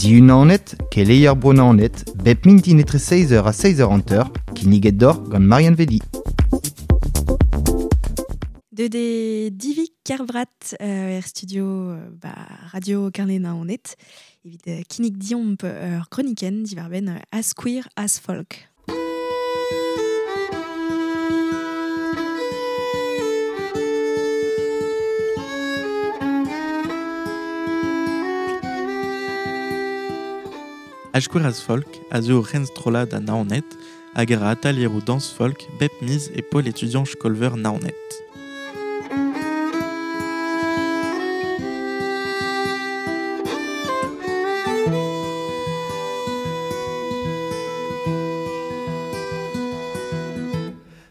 Diunanet, keleier bronanet, bep mintin etre 16h ha 16h50, kinniget d'or gant Marianne Vedi. De de Divi Kerbrat er studio ba, Radio Carnet Naoned, evit kinnig diomp ur kroniken divarben as queer as folk. As queer as folk a zo ur strollad a Naoned hag ar atalieroù dans folk bep miz e pol étudiant skolver Naoned.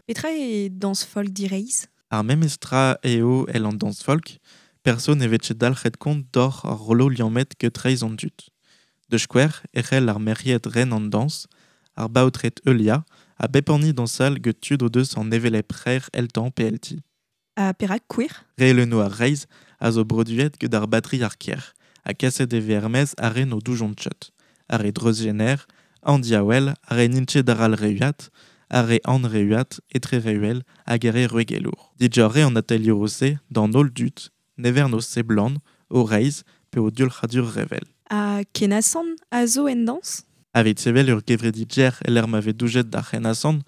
Petra e dans folk direiz? Ar memestra eo el an dans folk, perso ne vet dalc'het kont d'or ar rollo liammet get reiz an dud. De skouer ec'hell ar merriet ren an dans, ar baotret eulia, a bep anni dansal get tud o deus an evelep rer eltan pe elti. A perak queer? Re le ar reiz a zo broduet get ar batri ar kier, a kaset e vermez a ren o doujon tchot, ar re dreuzgener, an diawel, ar re nintche dar al reuat, ar re an reuat, etre reuel, hag ar re ruegelour. Dijor an atelier o se, d'an ol dut, nevern o seblant, o reiz, pe o diul c'hadur revel. A kenasan a zo en dans? Aveit sevel ur gevredi djer el ma ve doujet d'ar c'henasan,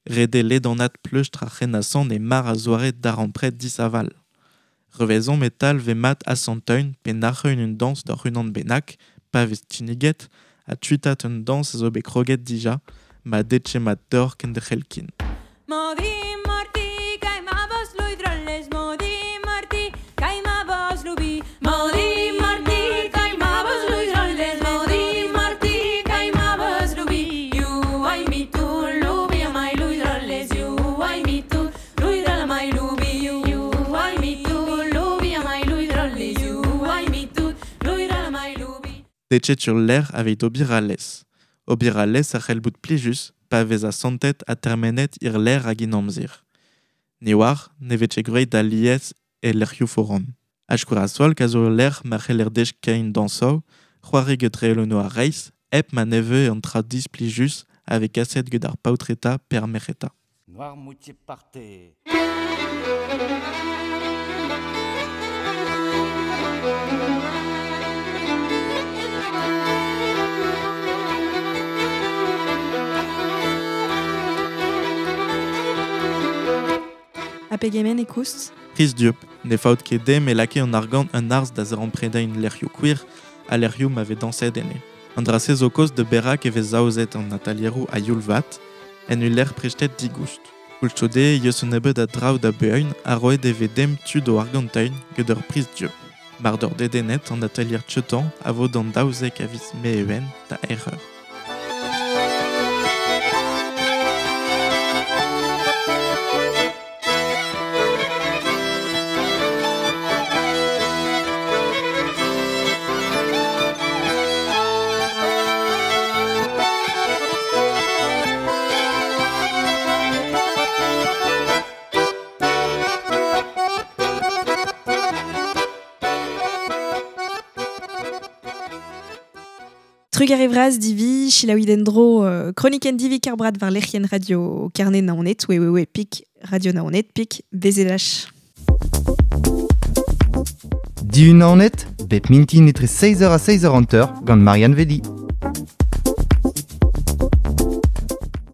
rede ledanat pleustr ar c'henasan e mar a zoare d'ar ampret disaval. Revezon metal ve mat asanteun pe nac'heun un dans d'ar unan benak, pa vez tiniget, a tuitat un dans a zo bet kroget dija, ma detche mat d'or ken de c'helkin. Detchet sur l'air aveit obir a les. Obir a les a c'hell bout plijus, pa vez a santet a termenet ir l'air hag in amzer. Ne war, ne vet greit da liez e lec'hioù foran. Ashkour a folk a zo l'air ma c'heller dech kein dansou, c'hoari get reelono a reiz, ep ma neve an tra displijus ave kaset get ar paotreta per merc'heta. Noirmoutier partez. A pegemen e koust? Priz diop, ne faot ket dem e lake an argant un arz da zerempredain lec'hioù queer a lec'hioù ma vez danset ene. An drase zo koz de berak e vez aozet an atalieroù a youl vat, en ul lec'h prestet digoust. Koulchode yeus un nebeud a draoù da beun a roet e vez dem tud o arganteun get ur priz diop. Mar d'ur dedenet an atalier tchetan a vo d'an daouzek a viz meewen da erreur. Trugarez vraz divi, chilaoui dendro, chroniken divi karbrat var lec'hien radio Carnet Naoned, we pik radio Naoned, pik BZH. Diunanet, bep mintin etre 16h ha 16h50 gant Marianne Vedi.